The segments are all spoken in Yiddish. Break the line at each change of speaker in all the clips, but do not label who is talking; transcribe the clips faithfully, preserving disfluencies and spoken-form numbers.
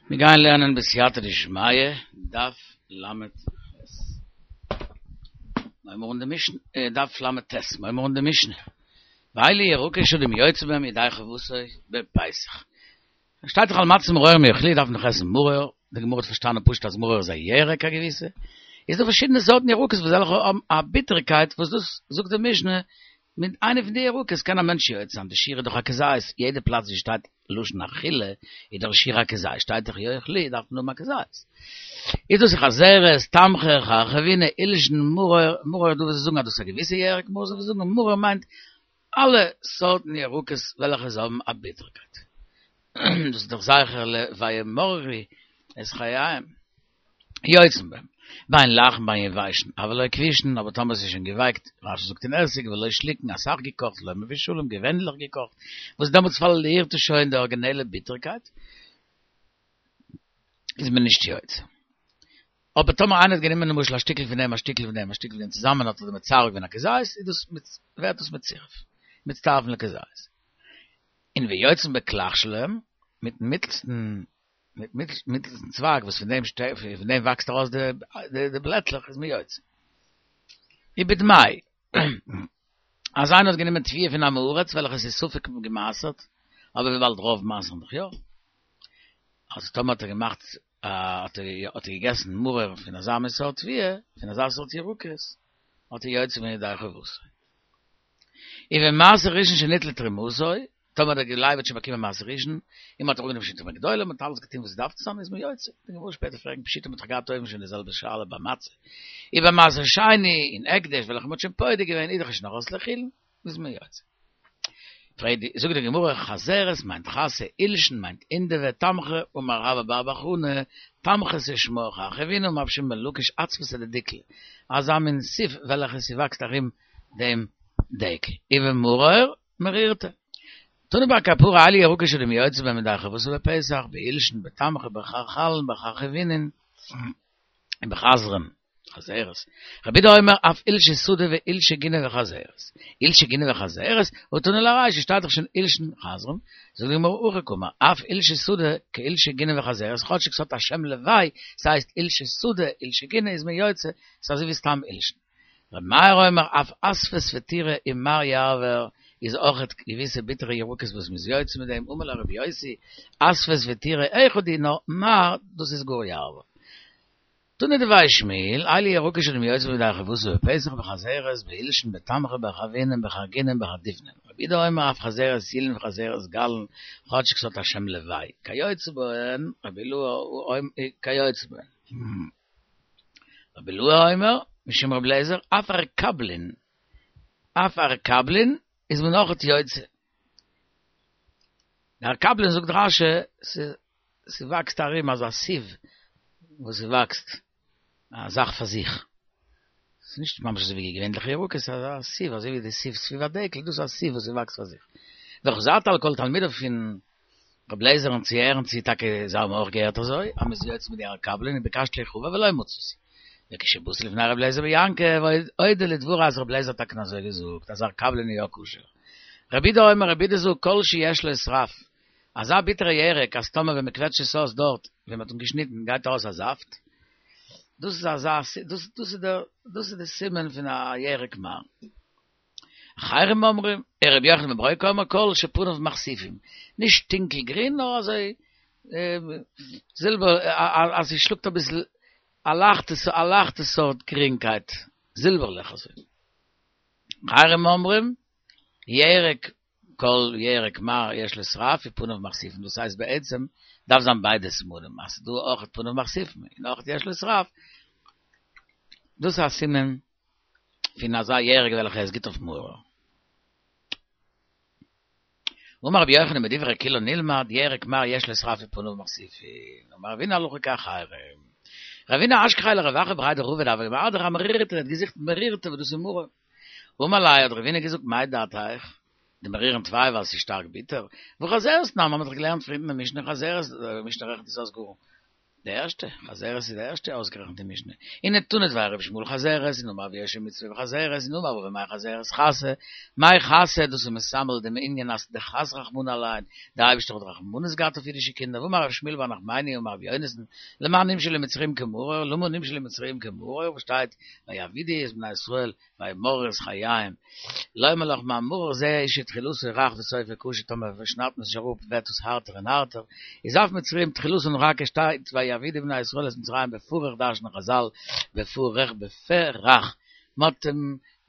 מיר גייען לערנען בסייעתא דשמיא, דף ל"ח. מיר האבן די משנה, דף ל"ט, מיר האבן די משנה. ואלו ירקות שאדם יוצא בהם ידי חובתו בפסח. שטייט דאך על מצות ומרורים יאכלוהו דארף מען דאך עסן מרור, די גמרא האט פארשטאנען פשוט אז מרור איז א ירק א געוויסע, איז דא פארשידענע סארטן ירקות וואס וועלכע האבן א ביטערקייט וואס דאס זאגט די משנה מיט איינע פון די ירקות קען א מענטש יוצא זיין, די שיעור איז דאך א כזית, יעדע פלאץ ווי שטייט לשון אכילה איז דאך שיעור א כזית, שטייט דאך יאכלוהו דארף מען האבן א כזית. איז דאס חזרת, תמחה, חרחבינא, עולשין, מרור, מרור דא וואס זיי זאגן אז דאס איז א געוויסע ירק, מרור זיי זאגן מרור מיינט אלע סארטן ירקות וועלכע זיי האבן א ביטערקייט. דאס איז דאך זכר ל וימררו את חייהם. יוצאים בהם. בין לחין בין יבשין, אבל לא כבושין, אבער טאמער עס איז שוין געווייקט, רש"י זאגט אין עסיג, ולא שלוקין, אסאך געקאכט, לא מבושלים, געווענליך געקאכט, וואס דעמאלטס פארלירט עס שוין די ארגינעלע ביטערקייט, איז מען נישט יוצא. אבער טאמער איינער האט גענומען למשל א שטיקל פון דעם, א שטיקל פון דעם, א שטיקל פון דעם, צוזאמען האט ער דעם מצרף געווען א כזית, איז דאס ווערט דאס מצורף, מצטרפין לכזית. און ויוצאים בקלח שלהם, מיטן מיטלסטן מיט מיטלסטן צווייג וואס פון דעם פון דעם וואקסט ארויס די די בלעטלעך איז מען יוצא. ובדמאי, אז איינער האט גענומען תבואה פון עם הארץ וועלכע עס איז ספק געמעשר'ט, אבער וויבאלד רוב מעשר'ן דאך יא, אז טאמער האט ער געמאכט האט ער האט ער געגעסן מרור פון אזא מין סארט תבואה, פון אזא סארט ירקות, האט ער יוצא געווען ידי חובתו. ובמעשר ראשון שניטלה תרומתו, טאמער דער לוי האט שוין באקומען מעשר ראשון, און מ'האט אראפגענומען שוין תרומה גדולה, מ'האט אלעס געטון וואס עס דארף צו זיין, איז מען יוצא. די גמרא שפעטער פרעגן פשיטא מ'האט דאך געהאט אויבן שוין די זעלבע שאלה ביי מצה. ובמעשר שני און הקדש וועלכע מ'האט שוין פודה געווען איז דאך שוין ארויס לחולין, איז מען יוצא. פרעגט די, זאגט די גמרא, חזרת מיינט חסה, עולשין מיינט הינדבי, תמחה, אמר רבה בר בר חנה, תמחתא שמה חרחבינא אמר רבי שמעון בן לקיש אצוותא דדיקלא, אזא מין סיב וועלכע ס'וואקסט ארום דעם דקל. ובמרור מרירתא. תני בר קפרא אלו ירקות שאדם יוצא בהם ידי חובתו בפסח, בעולשין, בתמחה, בחרחלין, בחרחבינין, און בחזרין, חזרת. רבי יהודה אומר אף עולשי שדה ועולשי גינה וחזרת. עולשי גינה וחזרת, והא תנא ליה ארישא, שטייט דאך שוין עולשין חזרין, זאגט די גמרא הכי קאמר, אף עולשי שדה כעולשי גינה וחזרת, כאטשיג ס'האט א שם לוואי, ס'הייסט עולשי שדה, עולשי גינה איז מען יוצא, ס'איז אזוי ווי סתם עולשין. רבי מאיר אומר אף אספס וטורא ומר יעבור איז אויכעט געוויסע ביטערע ירקות וואס מ'איז יוצא מיט דעם, אמר לו רבי יוסי, אספס וטורא אחד הוא נאר מר דאס איז גאר יעבור. תנא דבי שמואל, אלו ירקות שאדם יוצא בהם ידי חובתו בפסח בחזרת, בעולשין, בתמחה, בחרחבינין, בחרגינין, בחרדיפנין. רבי יהודה אומר אף חזרת ילין וחזרת גלין, כאטשיג ס'האט א שם לוואי, כיוצא בהן, רבי אילעא כיוצא בהן. רבי אילעא אומר, משום רבי אליעזר, אף ערקבלין, אף ערקבלין איז מען אויכעט יוצא. די ערקבלין זאגט רש"י, ס'וואקסט ארום אזא סיב וואס ס'וואקסט א זאך פאר זיך. ס'איז נישט ממש אזוי ווי געווענליכע ירקות, ס'איז אזא סיב, אזוי ווי די סיב סביב הדקל, דאס איז א סיב וואס ס'וואקסט פאר זיך. וחזרת על כל תלמידיו פון רבי אליעזר'ן צו הערן צי טאקע זיי האבן אויך געהערט אזוי, אז מ'איז יוצא מיט די ערקבלין וביקשתי לחבר ולא מצאתי. וכשבאתי לפני רבי אליעזר בן יעקב, הודה לדברי אז רבי אליעזר האט טאקע אזוי געזאגט אז ערקבלין איז יא כשר. רבי יהודה אומר רבי יהודה זאגט כל שיש לו שרף, אזא ביטערע ירק אז טאמער ווען מ'קוועטשט עס אויס דארט ווען מ'האט אים געשניטן גייט ארויס א זאפט, דאס איז אזא דאס איז דער דאס איז די סימן פון א ירק מר. אחרים אומרים, רבי יוחנן בן ברוקה אומר כל שפניו מכסיפים, נישט טונקל גרין נאר אזוי זילבער אז ס'שלאגט אביסל א לייכטע א לייכטע סארט גרינקייט, זילבערליך אזוי. אחרים אומרים, ירק כל ירק מר יש לו שרף ופניו מכסיפים, דאס הייסט בעצם דארף זיין ביידע סימנים, אז ס'דא אויך פניו מכסיפים און אויך יש לו שרף, דאס איז א סימן פון אזא ירק וועלכע איז גוט אויף מרור. אמר רבי יוחנן מדברי כולן נלמד, ירק מר יש לו שרף ופניו מכסיפין, אמר רבינא הלכה כאחרים. רבינא אשכחיה לרב אחא בריה דרבא דהוה קמרדר אמרירתא, ער האט געזוכט מרירתא וואס דאס איז מרור. אמר ליה האט רבינא געזאגט מאי דעתיך? דמרירין טפי ווייל ס'איז שטארק ביטער. והא חזרת תנן, מ'האט דאך געלערנט פריער אין די משנה חזרת, די משנה רעכנט עס אויס גאר די ערשטע, חזרת איז די ערשטע אויסגערעכנטע משנה. און תנא דבי רבי ישמעאל חזרת, און אמר רבי יאשיה מצוה בחזרת, און אמר רבא מאי חזרת חסא, מאי חסא, דאס איז מסמל דעם ענין אז דחס רחמנא עלן, דער אייבערשטער האט רחמנות געהאט אויף אידישע קינדער, ואמר רבי שמואל בר נחמני אמר רבי יונתן, למה נמשלו מצרים כמרור, למה נמשלו מצרים כמרור, וואס שטייט ויעבידו את בני ישראל וימררו את חייהם, לומר לך מה מרור זה שתחילתו רך וסופו קשה, טאמער שניידט מען עס נישט אראפ ווערט עס הארטער און הארטער, איז אף מצרים תחילתן רכה שטייט ויעבידו בני ישראל את מצרים בפרך דרש'נען חזל בפרך בפה רך, מ'האט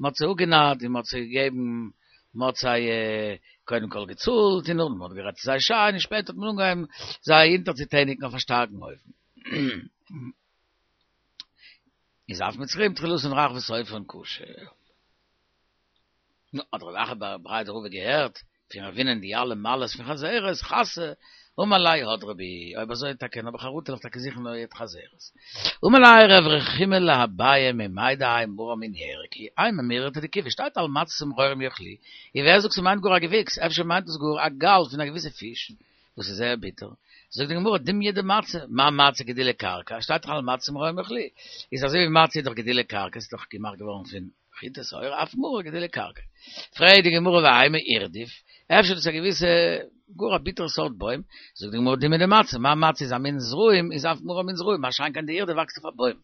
מ'האט זיי אפגענארט און מ'האט זיי געגעבן מ'האט זיי קודם כל געצאלט און נאכדעם מ'האט גערעדט צו זיי שיין און שפעטער האט מען אנגעהויבן זיי אונטערצוטעניגן אויף א שטארקן אופן. איז אף מצרים תחילתן רך וסופן קשה. נו, האט רב אחא בריה דרבא געהערט פון רבינ'ען די אלע מעלות פון חזרת, חסא, אמר ליה הדרי בי, אויב אזוי טאקע האב איך חרטה וועל איך טאקע זוכן נאר חזרת. אמר ליה רב רחומי לאביי ממאי דהאי מרור מין ירק הוא, אימא מירתא דכיבי, שטייט על מצות ומרורים יאכלוהו, און ווער זאגט ס'מיינט גאר א געוויקס, אפשר מיינט עס גאר א גאל פון א געוויסע פיש וואס איז זייער ביטער. זאגט די גמרא דומיא דמצה, מה מצה גידולי קרקע, שטייט דאך על מצות ומרורים יאכלוהו, איז אזוי ווי מצה איז דאך גידולי קרקע, ס'איז דאך געמאכט געווארן פון חיטה שעורה, אף מרור גידולי קרקע. פרעגט די גמרא ואימא אירדיף, אפשר דאס איז א געוויסע גאר א ביטערע סארט בוים, זאגט די גמרא דומיא דמצה, מה מצה איז א מין זרעים, איז אף מרור א מין זרעים, מה שאין כן די אירדיף וואקסט אויף א בוים.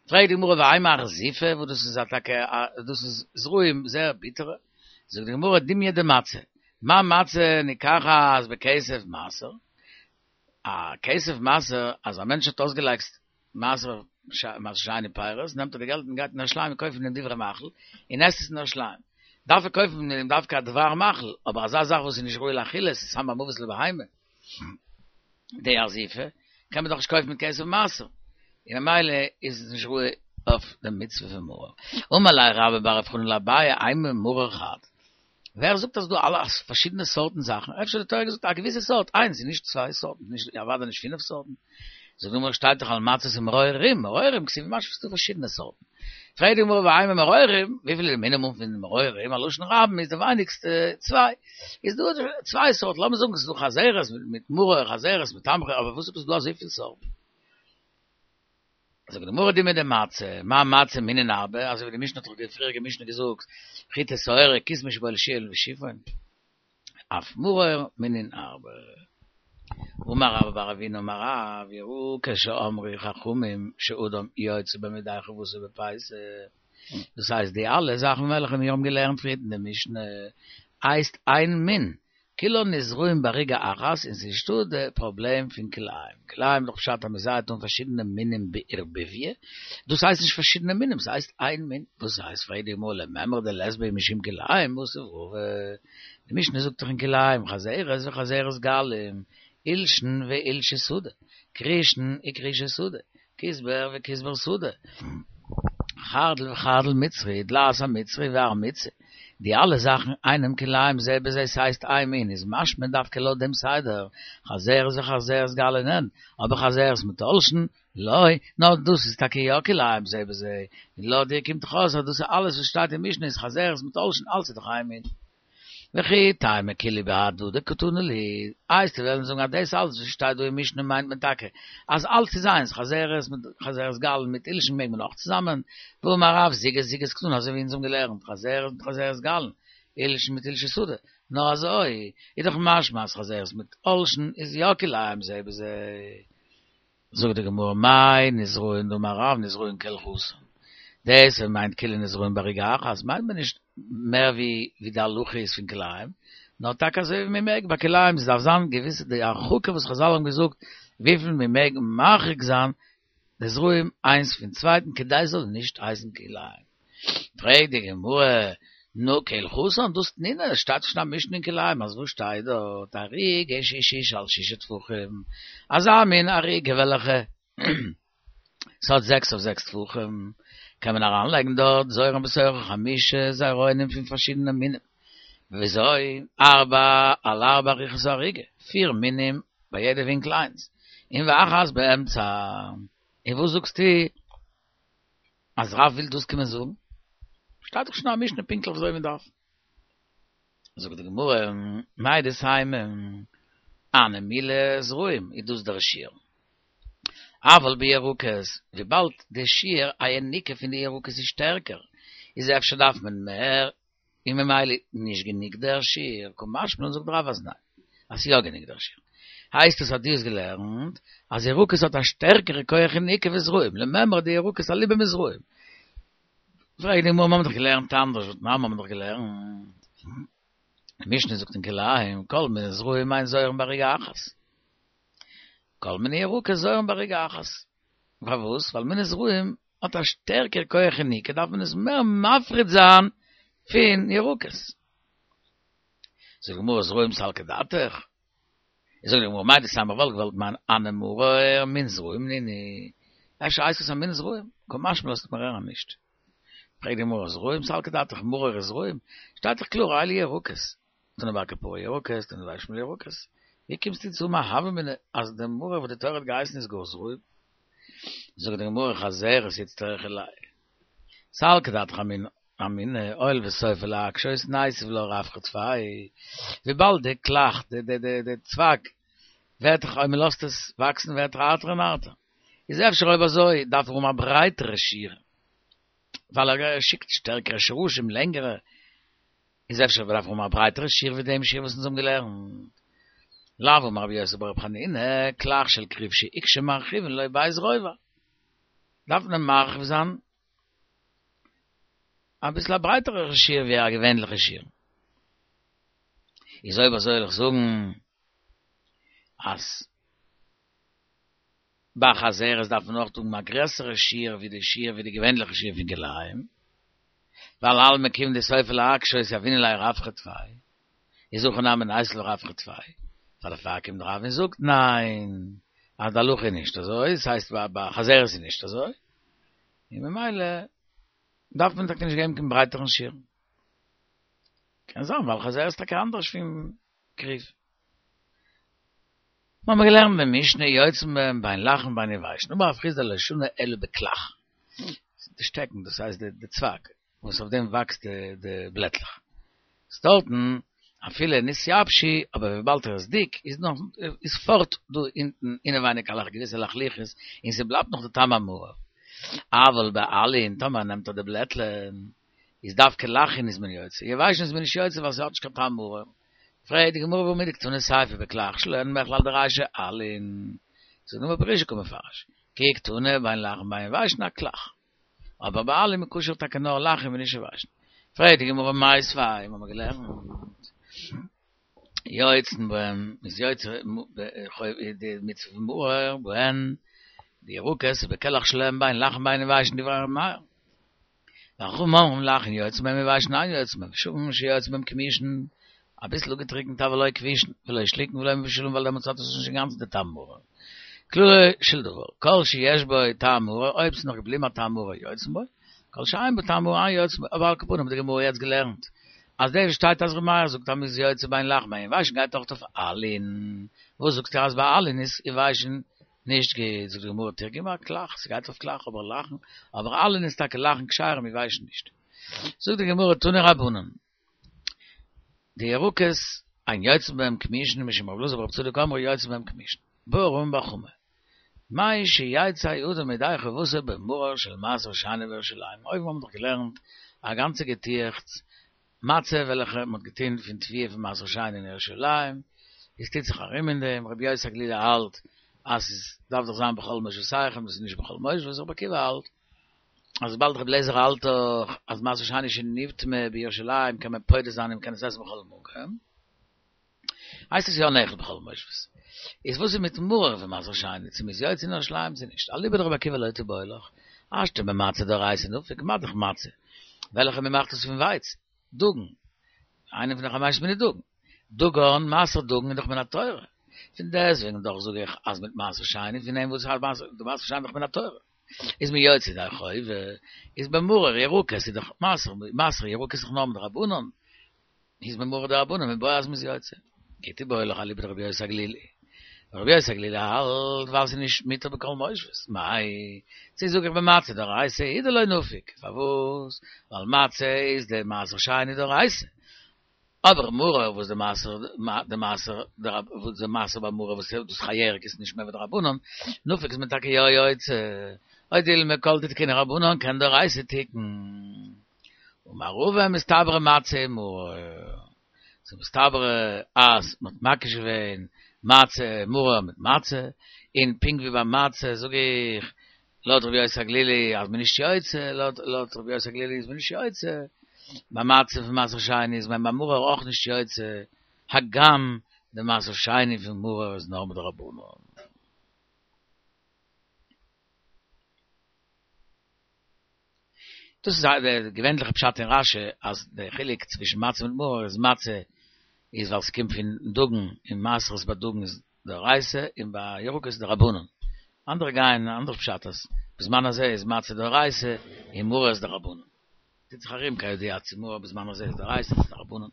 פרעגט די גמרא ואימא ארזיפא, וואס דאס איז א טאקע א דאס איז זרעים זייער ביטערע, זאגט די גמרא דומיא דמצה, מה מצה ניקחת בכסף מעשר, א כסף מעשר אז א מענטש האט אויסגעלייגט מעשר מעשר שני פירות, נעמט ער די געלט און גייט אין ירושלים און קויפט פון דעם דברי מאכל, און עסט עס אין ירושלים. דארף ער קויפן פון דעם דווקא א דבר מאכל, אבער אזא זאך וואס איז נישט ראוי לאכילה, עס איז סם המוות לבהמה, די ארזיפא, קען מען דאך נישט קויפן מיט כסף מעשר, און ממילא איז עס נישט ראוי אויף די מצוה פון מרור. אמר ליה רבה בר רב חנן לאביי, אימא מרור חד. ווער זאגט אז דא אלע פארשידענע סארטן זאכן? אפשר האט די תורה געזאגט א געוויסע סארט, איינס און נישט צוויי סארטן, נישט אוודאי נישט פינף סארטן. זאגט די גמרא שטייט דאך על מצות ומרורים, מרורים כתיב משמע ס'דא פארשידענע סארטן. פרעגט די גמרא ואימא מרורים, וויפיל איז די מינימום פון מרורים, א לשון רבים איז די ווייניגסטע צוויי. איז דא צוויי סארט, לאמיר זאגן ס'איז דא חזרת מיט מרור, חזרת מיט תמחוי, אבער וואס עפעס דא אזויפיל סארטן? זאגט די גמרא דומיא דמצה, מה מצה מינין הרבה, אזוי ווי די משנה האט דאך די פריעריגע משנה געזאגט, חיטה שעורה כסמא שבו לשיעול ושיפון, אף מרור מינין הרבה. אמר רבה בר אבינא אמר רב, יראה כשאמרו חכמים שאדם יוצא בו מידי חובתו בפסח, דאס הייסט די אלע זאכן וועלכע מיר האבן געלערנט פריערט אין די משנה הייסט איין מין, כולן נזרעים בעריגה אחת און ס'איז נישטא די פראבלעם פון כלאים, כלאים איז דאך פשט אז מ'זייעט אן פארשידענע מינים בערבוביא, דאס הייסט נישט פארשידענע מינים ס'הייסט איין מין, וואס הייסט פרעגט די גמרא למימרא דלית בהו משום כלאים מתיב רבא, די משנה זאגט דאך אין כלאים חזרת וחזרת גלים, עולשין ועולשי שדה, כרישין וכרישי שדה, כוסבר וכוסבר שדה, חרדל וחרדל מצרי, דלעת המצרי והר מצי, די אלע זאכן אינם כלאים זה בזה ס'הייסט איין מין איז משמע דווקא לויט דעם סדר, חזרת וחזרת גלין אין, אבער חזרת מיט עולשין, לא, נאר דאס איז טאקע יא כלאים זה בזה, און לויט דיר קומט דאך אויס אז דאס איז אלעס וואס שטייט אין משנה איז חזרת מיט עולשין אלס איז דאך איין מין. וכי תימא כולהו בהדדי קתני להו, וועסטו וועלן זאגן אז דאס אלץ וואס שטייט דא אין משנה מיינט מען טאקע אז אלץ איז איינס, חזרת מיט חזרת גלין מיט עולשין מעג מען אויך צוזאמען, והאמר רב זוגות זוגות קתני אזוי ווי אונז האבן געלערנט חזרת מיט חזרת גלין, עולשין מיט עולשי שדה, נאר אזוי איז דאך משמע אז חזרת מיט עולשין איז יא כלאים זה בזה. זאגט די גמרא מאי נזרעין דאמר רב נזרעין כהלכתן, דאס ווען מיינט כולן נזרעין בעריגה אחת מיינט מען נישט מער ווי ווי די הלכה איז פון כלאים, נאר טאקע אזוי ווי מען מעג ביי כלאים, ס'דארף זיין געוויסע די הרחקה וואס חזל האבן געזאגט וויפיל מען מעג מרחיק זיין די זרעים איינס פון צווייטן כדי עס זאל נישט הייסן כלאים. פרעגט די גמרא, נו כהלכתן דאס תנינא, עס שטייט שוין א משנה אין כלאים אז וואס שטייט דארט אריגה שהיא ששה על ששה טפחים, אזא מין אריגה וועלכע ס'האט זעקס אויף זעקס טפחים, קען מען אריינלייגן דארט זורעין בתוכה חמשה זרעונים פון פארשידענע מינים, וויאזוי? ארבע על ארבע אריכות האריגה, פיר מינים ביי יעדע ווינקל איינס, און ואחת באמצע, און וואס זאגסטו אז רב וויל דאס קומען זאגן? שטייט דאך שוין א משנה פונקטליך וויאזוי מען דארף. זאגט די גמרא, מהו דתימא, הני מילי זרעים איז דאס דער שיעור. אבל בירוקות, וויבאלד די שיעור היניקה פון די ירקות איז שטערקער, איז אפשר דארף מען מער, און ממילא נישט גענוג דער שיעור, קא משמע לן זאגט רב אז ניין, אז ס'איז יא גענוג דער שיעור. הייסט עס אז דו האסט געלערנט אז ירקות האט א שטערקערע כח יניקה ווי זרעים, למימרא דירקות אליבא מזרעים. פרעגט די גמרא, מיר האבן דאך געלערנט אנדערש, והתנן מיר האבן דאך געלערנט. די משנה זאגט אין כלאים, כל מיני זרעים אין זורעין בערוגה אחת. כל מיני ירקות זורעין בערוגה אחת. פארוואס? ווייל מיני זרעים האט א שטערקער כח יניקה, דארף מען עס מער מפריד זיין פון ירקות. זאגט די גמרא זרעים סלקא דעתך. זאגט די גמרא מהו דתימא וואלט געוואלט מיינען הני מרור מין זרעים נינהו. אפשר הייסט עס א מין זרעים? קא משמע לן לאזט מיר הערן נישט. פרעגט די גמרא זרעים סלקא דעתך מרור איז זרעים? שטייט דאך קלאר אלו ירקות. תנא בר קפרא ירקות, תנא דבי שמואל ירקות. ווי קומסטו צו האבן א הוה אמינא אז די מרור וואס די תורה האט געהייסן איז גאר זרעים? זאגט די גמרא חזרת איצטריכא ליה. סלקא דעתך אמינא, הואיל וסופה להקשות ניתיב לה רווחא טפי, וויבאלד די קלח, די די די די צוואג, ווערט דאך אויב מען לאזט עס וואקסן ווערט דאך הארטער און הארטער, איז אפשר אויב אזוי דארף ער האבן א ברייטערע שיעור, ווייל ער שיקט שטערקערע שרשים, לענגערע, איז אפשר דארף ער האבן א ברייטערע שיעור ווי דעם שיעור וואס אונז האבן געלערנט. לאו אמר רבי יוסי ברבי חנינא, קלח של כרוב שהוקשה מרחיבין לו ב' רובע. דארף מען מרחיב זיין אביסל א ברייטערע שיעור ווי א געווענליכע שיעור. איז אויב אזוי וועל איך זאגן אז ביי חזרת דארף מען אויך האבן א גרעסערע שיעור ווי די שיעור ווי די געווענליכע שיעור פון כלאים, ווייל אלמא כיון דסופה להקשות יהבינן ליה רווחא טפי, איז הכא נמי ניתיב לה רווחא טפי, פאר דערפאר קומט רב און זאגט ניין, אז די הלכה איז נישט אזוי, עס הייסט ביי חזרת איז נישט אזוי, און ממילא דארף מען טאקע נישט געבן קיין ברייטערן שיעור. קען זיין ווייל חזרת איז טאקע אנדערש פון כרוב. מיר האבן געלערנט אין משנה יוצאין בהן בין לחין בין יבשין, אמר רב חסדא לא שנו אלא בקלח, די שטעקן דאס הייסט די צוואג וואס אויף דעם וואקסט די בלעטלעך, איז דארטן אפילו נתייבשו, אבער וויבאלד ער איז דיק איז נאך איז פארט דא אונטן אינעווייניג א געוויסע לחלוחית און ס'בלייבט נאך די טעם המרור, אבל בעלין טאמער נעמט ער די בלעטלען איז דווקא לחין איז מען יוצא, יבשין איז מען נישט יוצא ווייל ס'האט נישט קיין טעם מרור. פרעגט די גמרא והא מדקתני סיפא בקלח שלהן מכלל דרישא עלין, זאגט די גמרא ברישא קא מפרש, כי קתני בין לחין בין יבשין אקלח, אבער ביי עלין איז כשר טאקע נאר לחין און נישט יבשין. פרעגט די גמרא מיתיבי, מיר האבן געלערנט יוצאין בהן, מ'איז יוצא די מצוה פון מרור בהן, די ירקות ובקלח שלהן בין לחין בין יבשין דברי ר' מאיר. וחכמים אומרים לחין יוצאין בהם יבשין אין יוצאין בהם, ושווין שיוצאין בהם כמושין, אביסל אפגעטריקנט אבל לא כבושין, ולא שלוקין ולא מבושלין ווייל דעמאלטס האט עס נישט אינגאנצן די טעם מרור. כללו של דבר, כל שיש בו טעם מרור, אויב ס'איז נאך געבליבן א טעם מרור יוצאין בו, כל שאין בו טעם מרור אין יוצאין בו, אבער על כל פנים האט די גמרא יעצט געלערנט אז דאס וואס שטייט אז ר' מאיר זאגט אז מ'איז יוצא בין לחין בין יבשין גייט אויך אויף עלין, וואס זאגסטו אז ביי עלין איז יבשין נישט גוט, זאגט די גמרא תרגמא אקלח, ס'גייט אויף קלח אבער לחין, אבער עלין איז טאקע לחין כשרים יבשין נישט. זאגט די גמרא תנו רבנן, די ירקות אין יוצאין בהם כמושין משום רבי אלעזר ברבי צדוק אמרו יוצאין בהם כמושין, בעי רמי בר חמא, מהו שיצא אדם ידי חובתו במרור של מעשר שני בירושלים, אויבן האבן מיר דאך געלערנט א גאנצע געטועכץ מצה וועלכע מען האט געטון פון תבואה פון מעשר שני אין ירושלים, עס טוט זיך ארום אין דעם, רבי יוסי הגלילי האלט אז עס דארף דאך זיין בכל מושבותיכם, דאס איז נישט בכל מושבות, רבי עקיבא האלט אז וויבאלד רבי אליעזר האלט דאך אז מעשר שני שנטמא בירושלים קען מען פודה זיין און מען קען עס עסן בכל מקום, הייסט עס יא נאכל בכל מושבות. איז וואס איז מיט מרור פון מעשר שני, צו מ'איז יוצא אין ירושלים צו נישט? אליבא דרבי עקיבא לא תיבעי לך, השתא במצה דאורייתא נפיק, מה דאך מצה, וועלכע מ'מאכט עס פון ווייץ, דגן, איינע פון די חמשת מיני דגן, דגן, מעשר דגן איז דאך מן התורה, פון דעסטוועגן דאך זאג איך אז מיט מעשר שני, פון דעם וואס די מעשר שני איז דאך מן התורה, איז מען יוצא ידי חובה, איז במרור ירקות איז דאך מעשר, מעשר ירקות איז דאך נאר מדרבנן, איז במרור דרבנן מיבעיא אז מ'איז יוצא. כי תיבעי לך אליבא דרבי יוסי הגלילי. רבי יוסי הגלילי האלט ווייל ס'איז נישט מותר בכל מושבות. מאי, צו זאג איך במצה דאורייתא הוא דלא נפיק. פארוואס? ווייל מצה איז די מעשר שני דאורייתא. אבער מרור וואס די מעשר די מעשר וואס די מעשר ביי מרור וואס דאס א ירק איז נישט מער ווי דרבנן, נפק איז מען טאקע יא יוצא, או דילמא כל דתקינהו רבנן כעין דאורייתא תיקון. אמר רבא מסתברא מצה ומרור. ס'איז מסתברא אז מ'האט מקיש געווען מצה מרור מיט מצה, און פונקט ווי ביי מצה זאג איך לויט רבי יוסי הגלילי אז מ'איז נישט יוצא, לויט רבי יוסי הגלילי איז מען נישט יוצא, ביי מצה פון מעשר שני איז מען ביי מרור אויך נישט יוצא, הגם די מעשר שני פון מרור איז נאר מדרבנן. דאס איז די געווענליכע פשט אין רשי אז די חילוק צווישן מצה מיט מרור איז מצה איז ווייל ס'קומט פון דגן און מעשרות ביי דגן איז דאורייתא און ביי ירקות איז דרבנן. אנדערע גייען אן אנדערע פשט אז בזמן הזה איז מצה דאורייתא און מרור איז דרבנן. טוט זיך ארום כידוע צו מרור בזמן הזה איז דאורייתא צו דרבנן.